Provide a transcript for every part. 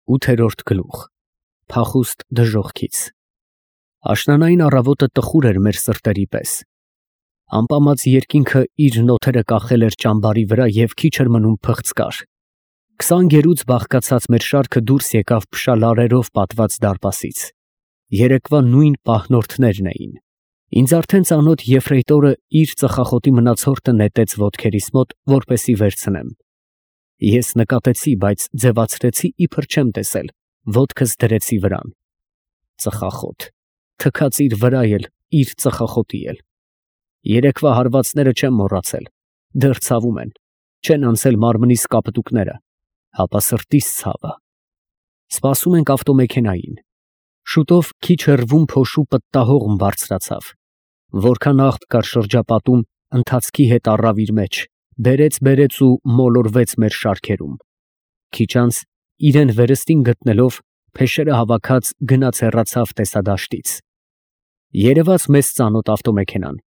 8-րդ գլուխ Փախուստ դժոխքից Աշնանային առավոտը տխուր էր մեր սրտերի պես։ Ամպամած երկինքը իր նոթերը կախել էր ճամբարի վրա և քիչ էր մնում փղծկար։ 20 գերուց բաղկացած մեր շարքը դուրս եկավ փշալարերով պատված դարպասից։ Երեկվա նույն պահնորդներն էին։ Ինձ արդեն ծանոթ եֆրեյտորը իր ծխախոտի մնացորդը նետեց ոտքերիս մոտ, որպեսի վերցնեմ։ Ես նկատեցի, բայց ձևացրեցի, իբր չեմ տեսել, ոտքս դրեցի վրան։ Ծխախոտ, թքած իր վրա էլ, իր ծխախոտի էլ։ Երեկվա հարվածները չեմ մոռացել, դեռ ցավում են, չեն անցել մարմնիս կապտուկները, հապա սրտիս ցավը։ Սպասում ենք ավտոմեքենային։ Շուտով քիչ հեռվում փոշու պտտահողմ բարձրացավ։ Որքան աղտ կար շրջապատում, ընթացքի հետ առավ իր մեջ, բերեց ու մոլորվեց մեր շարքերում։ Քիչ անց, իրեն վերստին գտնելով, փեշերը հավաքած գնաց հեռացավ տեսադաշտից։ Երևաց մեզ ծանոթ ավտոմեքենան։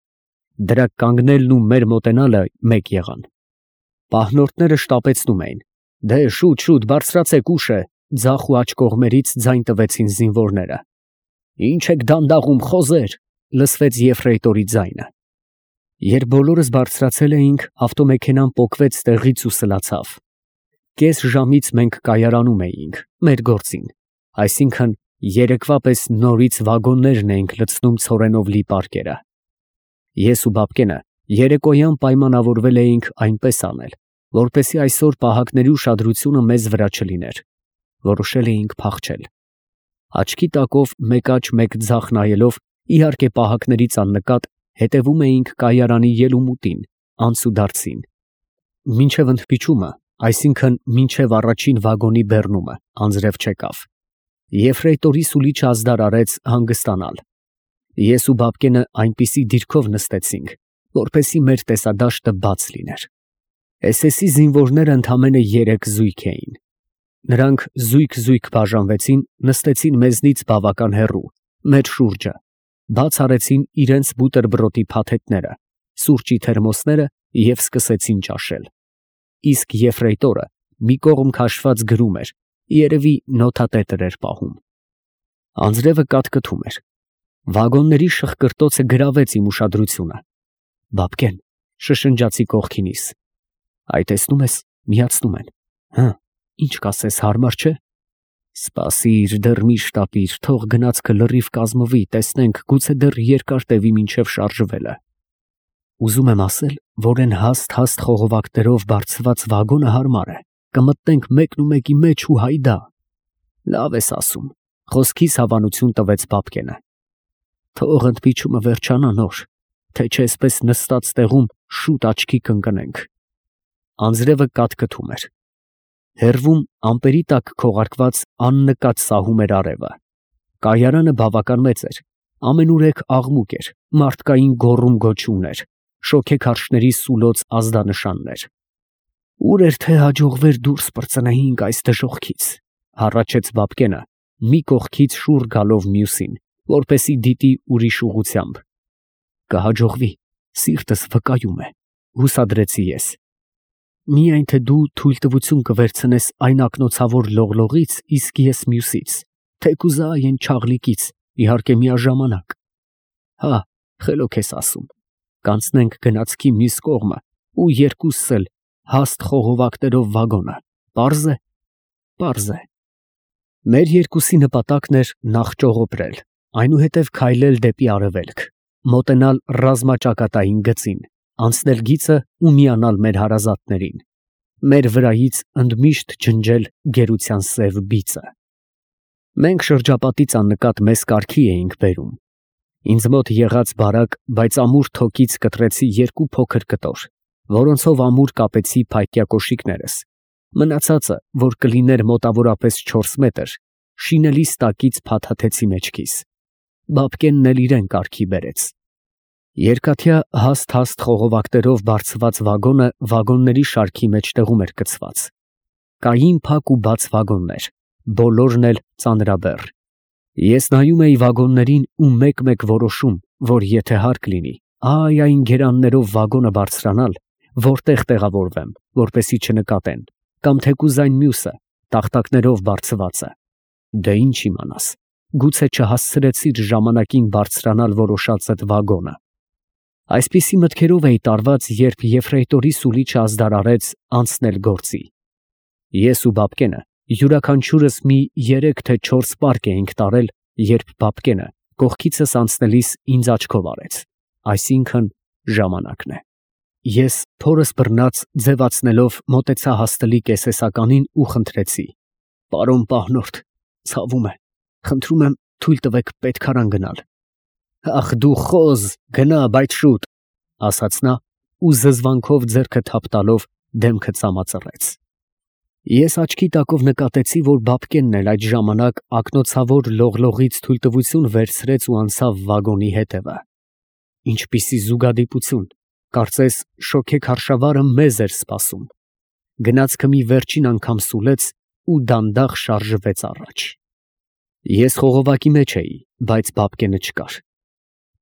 Դրա կանգնելն ու մեր մոտենալը մեկ եղան։ Պահնորդները շտապեցնում էին։ Դե շուտ բարձրացեք, ուշ է, ձախ ու աջ կողմերից ձայն տվեցին զինվորները։ Ինչ եք դանդաղում, խոզեր, լսվեց եֆրեյտորի ձայնը։ Երբ բոլորս բարձրացել էինք, ավտոմեքենան պոկվեց տեղից ու սլացավ։ Կես ժամից մենք կայարանում էինք, մեր գործին, այսինքն երեկվա պես նորից վագոններն էինք լցնում ցորենով լի պարկերը։ Ես ու Բաբկենը երեկոյան պայմանավորվել էինք այնպես անել, որպեսզի այսօր պահակների ուշադրությունը մեզ վրա չլիներ։ Որոշել էինք փախչել։ Աչքի տակով մեկ աջ մեկ ձախ նայելով, իհարկե պահակներից աննկատ, հետևում էինք կայարանի ելումուտին, անցուդարձին։ Մինչև ընդմիջումը, այսինքն մինչև առաջին վագոնի բեռնումը, անձրև չեկավ։ Եֆրեյտորի սուլիչը ազդար արեց հանգստանալ։ Ես ու Բաբկենը այնպիսի դիրքով նստեցինք, որպեսզի մեր տեսադաշտը բաց լիներ։ SS-ի զինվորները ընդամենը 3 զույգ էին։ Նրանք զույգ բաժանվեցին, նստեցին մեզնից բավական հեռու, մեր շուրջը, բաց արեցին իրենց բուտերբրոդի փաթեթները, սուրճի թերմոսները և սկսեցին ճաշել։ Իսկ եֆրեյտորը մի կողմ քաշված գրում էր, երևի նոթատետր էր պահում։ Անձրևը կատկտում էր։ Վագոնների շխկրտոցը գրավեց իմ ուշադրությունը։ Բաբկեն, շշնջացի կողքինիս։ Այ տեսնում ես, միացնում են։ Հը, ինչ կասես, հարմար չէ։ Սպասիր, դեռ մի շտապիր, թող գնացքը լրիվ կազմվի, տեսնենք, գուցե դեռ երկար տևի մինչև շարժվելը։ Ուզում եմ ասել, որ այն հաստ խողովակներով բարձված վագոնը հարմար է, կմտնենք մեկն ու մեկի մեջ ու հայդա։ Լավ ես ասում, խոսքիս հավանություն տվեց Բաբկենը։ Թող ընդմիջումը վերջանա նոր, թե չէ այսպես նստած տեղում շուտ աչքի կընկնենք։ Անձրևը կատկտում էր։ Հեռվում ամպերի տակ քողարկված աննկատ սահում էր արևը։ Կայարանը բավական մեծ էր, ամենուրեք աղմուկ էր, մարդկային գոռում-գոչյուններ, շոգեքարշների սուլոց ազդանշաններ։ Ուր էր թե հաջողվեր դուրս պրծնեինք այս դժոխքից, հառաչեց Բաբկենը, մի կողքից շուռ գալով մյուսին, որպեսի դիտի ուրիշ ուղղությամբ։ Կհաջողվի, սիրտս վկայում է, հուսադրեցի ես։ Միայն թե դու թույլտվություն կվերցնես այն ակնոցավոր լողլողից, իսկ ես մյուսից, թեկուզա այն չաղլիկից, իհարկե միաժամանակ։ Հա, խելոք ես ասում, կանցնենք գնացքի մյուս կողմը ու երկուսս էլ հաստ խողովակներով վագոնը, պարզ է։ Պարզ է։ Մեր երկուսի նպատակն էր նախ ճողոպրել, այնուհետև քայլել դեպի արևելք, մոտենալ ռազմաճակատային գծին, անցնել գիծը ու միանալ մեր հարազատներին, մեր վրայից ընդմիշտ ջնջել գերության սև բիծը։ Մենք շրջապատից աննկատ մեզ կարգի էինք բերում։ Ինձ մոտ եղած բարակ, բայց ամուր թոկից կտրեցի 2 փոքր կտոր, որոնցով ամուր կապեցի փայտյա կոշիկներս։ Մնացածը, որ կլիներ մոտավորապես 4 մետր, շինելիս տակից փաթաթեցի մեջքիս։ Բաբկենն էլ իրեն կարգի բերեց։ Երկաթյա հաստ խողովակներով բարձված վագոնը վագոնների շարքի մեջտեղում էր գծված։ Կային փակ ու բաց վագոններ, բոլորն էլ ծանրաբեռ։ Ես նայում էի վագոններին ու մեկ-մեկ որոշում, որ եթե հարկ լինի, այն գերաններով վագոնը բարձրանալ, որտեղ տեղավորվեմ, որպեսի չնկատեն, կամ թեկուզ այն մյուսը, տախտակներով բարձված է։ Դե ինչ իմանաս, գուցե չհասցրեցիր ժամանակին բարձրանալ որոշածդ վագոնը։ Այսպիսի մտքերով էի տարված, երբ եֆրեյտորի սուլիչը ազդարարեց անցնել գործի։ Ես ու Բաբկենը յուրաքանչյուրս մի 3 թե 4 պարկ էինք տարել, երբ Բաբկենը կողքիցս անցնելիս ինձ աչքով արեց, այսինքն ժամանակն է։ Ես փորս բռնած ձևացնելով մոտեցա հաստլի կեսեսականին ու խնդրեցի. «Պարոն պահնորդ, ցավում է, խնդրում եմ թույլ տվեք պետքարան գնալ»։ «Ախ դու խոզ, գնա, բայց շուտ», ասաց նա ու զզվանքով ձեռքը թափ տալով դեմքը ծամածռեց։ Ես աչքի տակով նկատեցի, որ Բաբկենն էլ այդ ժամանակ ակնոցավոր լողլողից թույլտվություն վերցրեց ու անցավ վագոնի հետևը։ Ինչպիսի զուգադիպություն, կարծես շոգեքարշավարը մեզ էր սպասում։ Գնացքը մի վերջին անգամ սուլեց ու դանդաղ շարժվեց առաջ։ Ես խողովակի մեջ էի, բայց Բաբկենը չկար։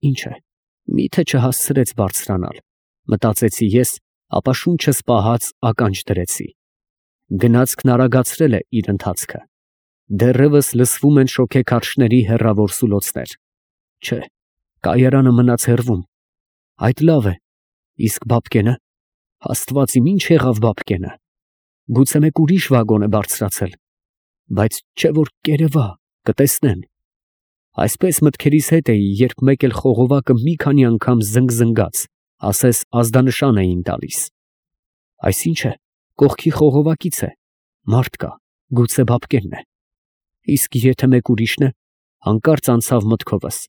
Ինչ է, միթե չհասցրեց բարձրանալ, մտածեցի ես, ապա շունչս պահած ականջ դրեցի։ Գնացքն արագացրել է իր ընթացքը։ Դեռևս լսվում են շոգեքարշների հեռավոր սուլոցներ։ Չէ, կայարանը մնաց հեռվում։ Այդ լավ է, իսկ Բաբկենը, Աստված իմ, ինչ եղավ Բաբկենը։ Գուցե մեկ ուրիշ վագոն է բարձրացել, բայց չէ որ կերևա, կտեսնեն։ Այսպես մտքերիս հետ էի, երբ մեկ էլ խողովակը մի քանի անգամ զնգզնգաց, ասես ազդանշան էին տալիս։ Այսինչ է, կողքի խողովակից է, մարդ կա, գուցե Բաբկենն է։ Իսկ եթե մեկ ուրիշն է, հանկարծ անցավ մտքովս,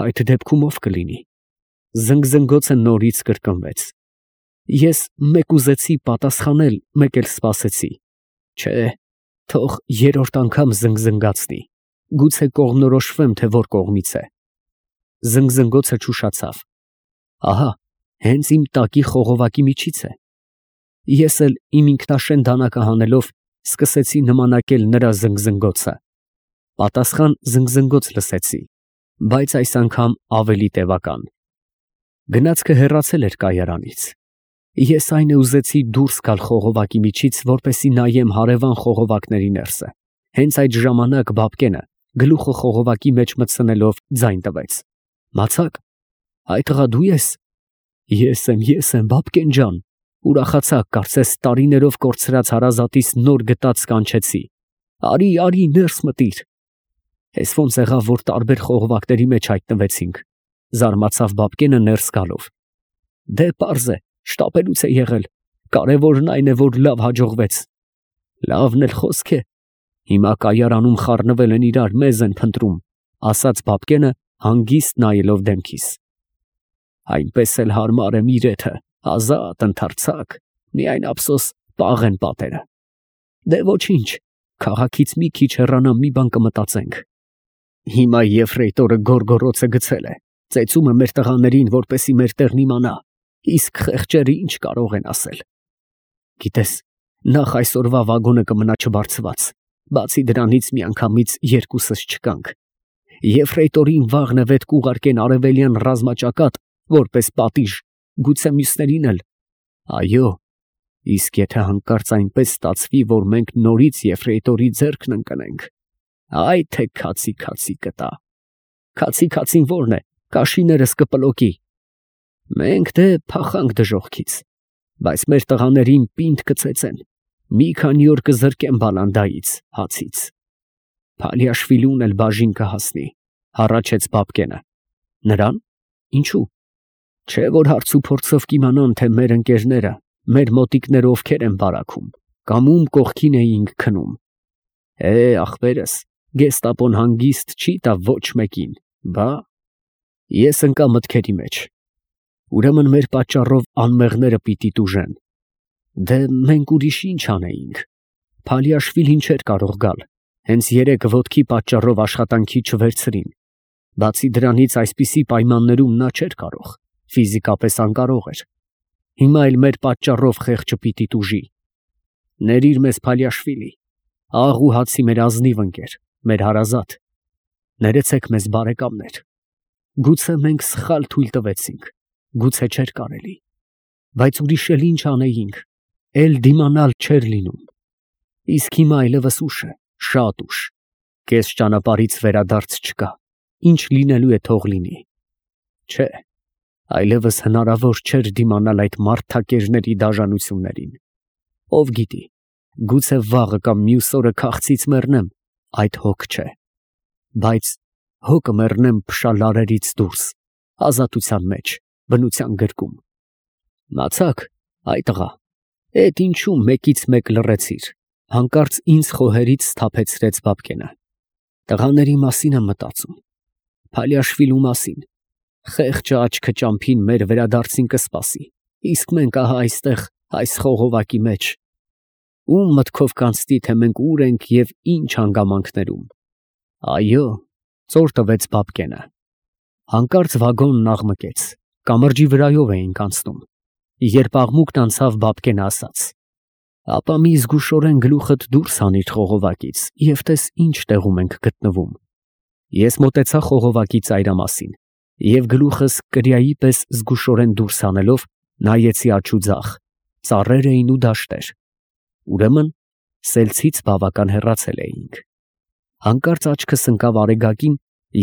այդ դեպքում ով կլինի։ Զնգզնգոցը նորից կրկնվեց։ Ես մեկ ուզեցի պատասխանել, մեկ էլ սպասեցի։ Չէ, թող երրորդ անգամ զնգզնգացնի, գուցե կողմնորոշվեմ, թե որ կողմից է։ Զնգզնգոցը չուշացավ։ Ահա, հենց իմ տակի խողովակի միջից է։ Ես էլ իմ ինքնաշեն դանակը հանելով սկսեցի նմանակել նրա զնգզնգոցը։ Պատասխան զնգզնգոց լսեցի, բայց այս անգամ ավելի տևական։ Գնացքը հեռացել էր կայարանից։ Ես այն է ուզեցի դուրս գալ խողովակի միջից, որպեսզի նայեմ հարևան խողովակների ներսը։ Հենց այդ ժամանակ Բաբկենը գլուխը խողովակի մեջ մտցնելով ձայն տվեց. «Մացակ, այդ ղա դու ես»։ Ես եմ, Բաբկեն ջան, ուրախացա, կարծես տարիներով կորցրած հարազատիս նոր գտած կանչեցի։ Արի, ներս մտիր։ Էս ոնց եղավ, որ տարբեր խողովակների մեջ հայտնվեցինք, զարմացավ Բաբկենը ներս գալով։ Դե պարզ է, շտապելուց է եղել, կարևորն այն է, որ լավ հաջողվեց։ Լավն էլ խոսք է, հիմա կայարանում խառնվել են իրար, մեզ են փնտրում, ասաց Բաբկենը հանգիստ նայելով դեմքիս։ Այնպես էլ հարմար եմ իրեթը, ազատ, ընդարձակ, միայն ափսոս պաղ են պատերը։ Դե ոչինչ, քաղաքից մի քիչ հեռանամ, մի բան կմտածենք։ Հիմա եֆրեյտորը գորգորոցը գցել է, ծեծում է մեր տղաներին, որպեսի մեր տեղն իմանա, իսկ խեղճերը ինչ կարող են ասել։ Գիտես, նախ այսօրվա վագոնը կմնա չբարձված, բացի դրանից միանգամից երկուսս չկանք։ Եֆրեյտորին վաղն է վետ կուղարկեն արևելյան ռազմաճակատ, որպես պատիժ, գուցե մյուսներին էլ։ Այո, իսկ եթե հանկարծ այնպես ստացվի, որ մենք նորից եֆրեյտորի ձեռքն ընկնենք, այ թե քացի կտա։ Քացին որն է, կաշիներս կպլոկի։ Մենք դե փախանք դժողքից, բայց մեր տղաներին պինդ կծեծեն, մի քանի օր կզրկեն բալանդայից, հացից։ Փալիաշվիլուն էլ բաժին կհասնի, հառաչեց Բաբկենը։ Նրան, ինչու։ Չէ որ հարց ու փորձով կիմանան, թե մեր ընկերները, մեր մոտիկները ովքեր են բարաքում, կամ ում կողքին էինք քնում։ Ախպերս, գեստապոն հանգիստ չի տա ոչ մեկին, բա։ Ես ընկա մտքերի մեջ։ Ուրեմն մեր պատճառով անմեղները պիտի տուժեն։ Դե մենք ուրիշ ինչ անեինք։ Փալիաշվիլին չէր կարող գալ, հենց երեկ ոտքի պատճառով աշխատանքի չվերցրին։ Բացի դրանից այսպիսի պայմաններում նա չէր կարող, ֆիզիկապես անկարող էր։ Հիմա էլ մեր պատճառով խեղճը պիտի տուժի։ Ներիր մեզ Փալիաշվիլի, աղ ու հացի մեր ազնիվ ընկեր, մեր հարազատ։ Ներեցեք մեզ բարեկամներ։ Գուցե մենք սխալ թույլ տվեցինք, գուցե չէր կարելի, բայց ուրիշ էլ ինչ անեինք, էլ դիմանալ չէր լինում։ Իսկ հիմա այլևս ուշ է, շատ ուշ։ Կես ճանապարհից վերադարձ չկա, ինչ լինելու է թող լինի։ Չէ, այլևս հնարավոր չէր դիմանալ այդ մարդակերների դաժանություններին։ Ով գիտի, գուցե վաղը կամ մյուս օրը քաղցից մեռնեմ, այդ հոգ չէ։ Բայց հոգը մեռնեմ փշալարերից դուրս, ազատության մեջ, բնության գրկում։ Մացաք, այ տղա, էդ ինչու մեկից մեկ լռեցիր, հանկարծ ինձ խոհերից սթափեցրեց Բաբկենը։ Տղաների մասին եմ մտածում, Փալիաշվիլու մասին։ Խեղճը աչքը ճամփին մեր վերադարձին կսպասի, իսկ մենք ահա այստեղ, այս խողովակի մեջ։ Ում մտքով կանցնի, թե մենք ուր ենք և ինչ հանգամանքներում։ Այո, ծոր տվեց Բաբկենը։ Հանկարծ վագոնն աղմկեց, կամրջի վրայով էինք անցնում։ Երբ աղմուկն անցավ, Բաբկենը ասաց. ապա մի զգուշորեն գլուխդ դուրս հանիր խողովակից և տես ինչ տեղում ենք գտնվում։ Ես մոտեցա խողովակի ծայրամասին և գլուխս կրիայի պես զգուշորեն դուրս հանելով նայեցի աջ ու ձախ, ծառեր էին ու դաշտեր։ Ուրեմն սելցից բավական հեռացել էինք։ Հանկարծ աչքս ընկավ Արեգակին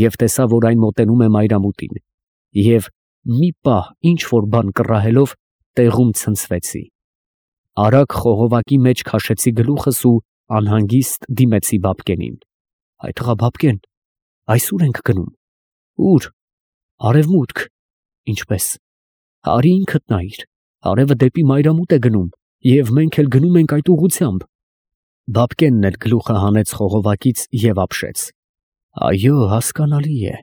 և տեսա, որ այն մոտենում է մայրամուտին, և մի պահ ինչ որ բան կռահելով տեղում ցնցվեցի։ Արագ խողովակի մեջ քաշեցի գլուխս ու անհանգիստ դիմեցի Բաբկենին։ Այ տղա Բաբկեն, այս ուր ենք գնում։ Ուր։ Արևմուտք։ Ինչպես։ Արի ինքդ նայիր, արևը դեպի մայրամուտ է գնում, և մենք էլ գնում ենք այդ ուղղությամբ։ Բաբկենն էլ գլուխը հանեց խողովակից և ապշեց։ Այո, հասկանալի է,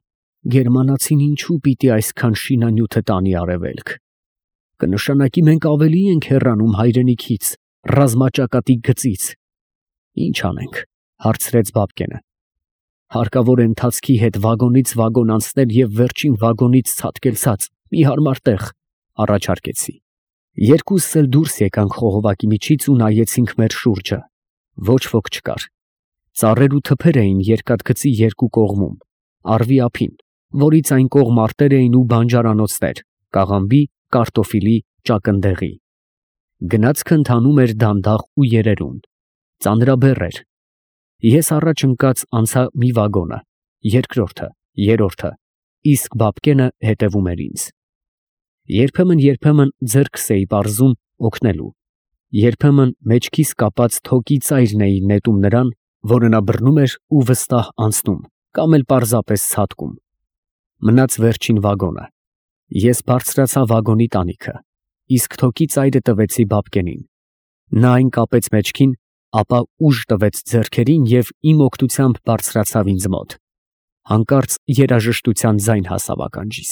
գերմանացին ինչու պիտի այսքան շինանյութը տանի արևելք։ Կնշանակի մենք ավելի ենք հեռանում հայրենիքից, ռազմաճակատի գծից։ Ինչ անենք, հարցրեց Բաբկենը։ Հարկավոր է ընթացքի հետ վագոնից վագոն անցնել և վերջին վագոնից ցատկել ցած, մի հարմար տեղ, առաջարկեցի։ Երկուսս էլ դուրս եկանք խողովակի միջից ու նայեցինք մեր շուրջը։ Ոչ ոք չկար։ Ծառեր ու թփեր էին երկաթգծի երկու կողմում, առվի ափին, որից այն կողմ արտեր էին ու բանջարանոցներ, կաղամբի, կարտոֆիլի, ճակնդեղի։ Գնացքը ընթանում էր դանդաղ ու երերուն։ Ծանրաբեռ էր։ Ես առաջ ընկած անցա մի վագոնը, երկրորդը, երրորդը, իսկ Բաբկենը հետևում էր ինձ։ Երբեմն ձեռքս էի պարզում օգնելու, երբեմն մեջքիս կապած թոկի ծայրն էի նետում նրան, որը նա բռնում էր ու վստահ անցնում, կամ էլ պարզապես ցատկում։ Մնաց վերջին վագոնը։ Ես բարձրացա վագոնի տանիքը, իսկ թոկի ծայրը տվեցի Բաբկենին։ Նա այն կապեց մեջքին, ապա ուժ տվեց ձեռքերին և իմ օգնությամբ բարձրացավ ինձ մոտ։ Հանկարծ երաժշտության ձայն հասավ ականջիս։